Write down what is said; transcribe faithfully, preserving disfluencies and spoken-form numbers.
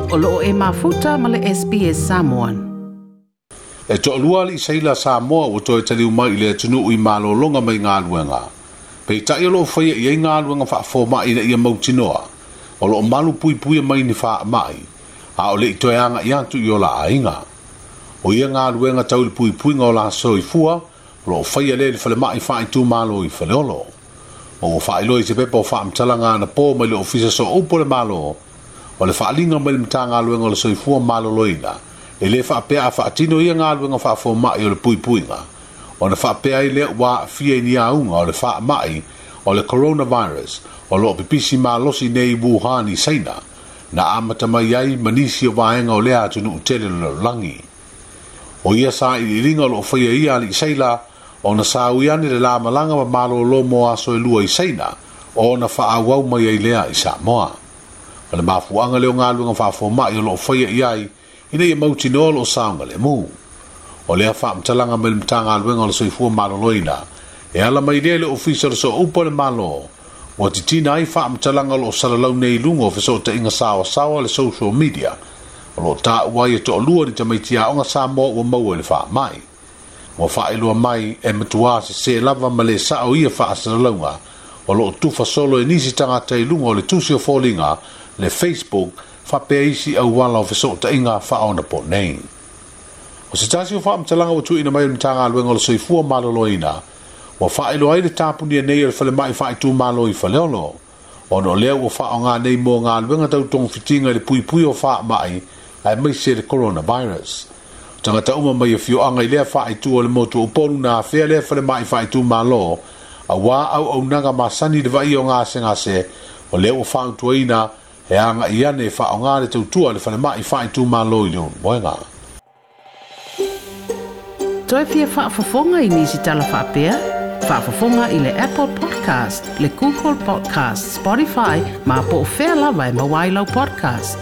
O loo e mafuta ma le S B S Samoan. E toʻalua alii seila Samoa ua toe taliu mai i le atunuu i malōlōga mai galuega. Peitai o loo faia i ai galuega faafomaʻi ina ia mautinoa. O loo malu puipuia mai ni faamaʻi, a o leʻi toe agaʻi atu i o la aiga. O ia galuega tau i le puipuiga o la soifua, o loo faia lea i le falemaʻi faaitumalo i Faleolo. Ma ua faailoa i se pepa o faamatalaga anapo mai le Ofisa Sooupu o le Malo, o le faaliga mai le Matagaluega o le Soifua Maloloina, e lē faapea a faatino ia galuega faafomaʻi o le puipuiga, ona faapea ai lea ua aafia i ni auga o le faamaʻi o le coronavirus o loo pipisi malosi nei i Wuhan i Saina, na amata mai ai ma nisi o vaega o lea atunuu tele o le lalolagi. O ia sailiiliga o loo faia ia alii seila, ona saui ane le lamalaga ma malōlō mo aso e lua i Saina, ona faaauau mai ai lea i Samoa. O le mafuaaga lea o galuega faafomaʻi o loo faia i ai, ina ia mautinoa o loo saogalemu. O lea faamatalaga mai le Matagaluega o le Soifua Maloloina, e ala mai lea i le Ofisa o le Sooupu o le Malo, ua titina ai faamatalaga o loo salalau nei i luga o fesootaiga saoasaoa le social media, o loo taua ai e toalua ni tamaiti aoga Samoa ua maua i le faamai. Ua faailoa mai e matuā sesē lava ma lē sao ia faasalalauga o loo tufa solo e nisi tagata i luga o le tusi o foliga le Facebook faapea isi auala o fesootaiga faaonapo nei. O se tasi o faamatalaga ua tuuina mai o le Matagaluega o le Soifua Maloloina, ua faailoa ai le tapunia nei o le falemaʻi faaitumalo i Faleolo, ona o lea ua faaaogā nei mo galuega tau togafitiga i le puipui o faamaʻi aemaise le coronavirus. Tagata uma mai afioaga i lea faaitu o le motu o Upolu na afea lea falemaʻi faaitumalo, auā auaunaga masani le vaaia o gasegase, o lea ua fautuaina e agaʻi ane e faaaogā le tautua le falemaʻi faaitumalo i le ulumoega. Toe fia faafofoga i nisi tala faapea? Faafofoga i le Apple Podcast, le Google Podcast, Spotify, ma po o fea lava e maua ai lau podcast.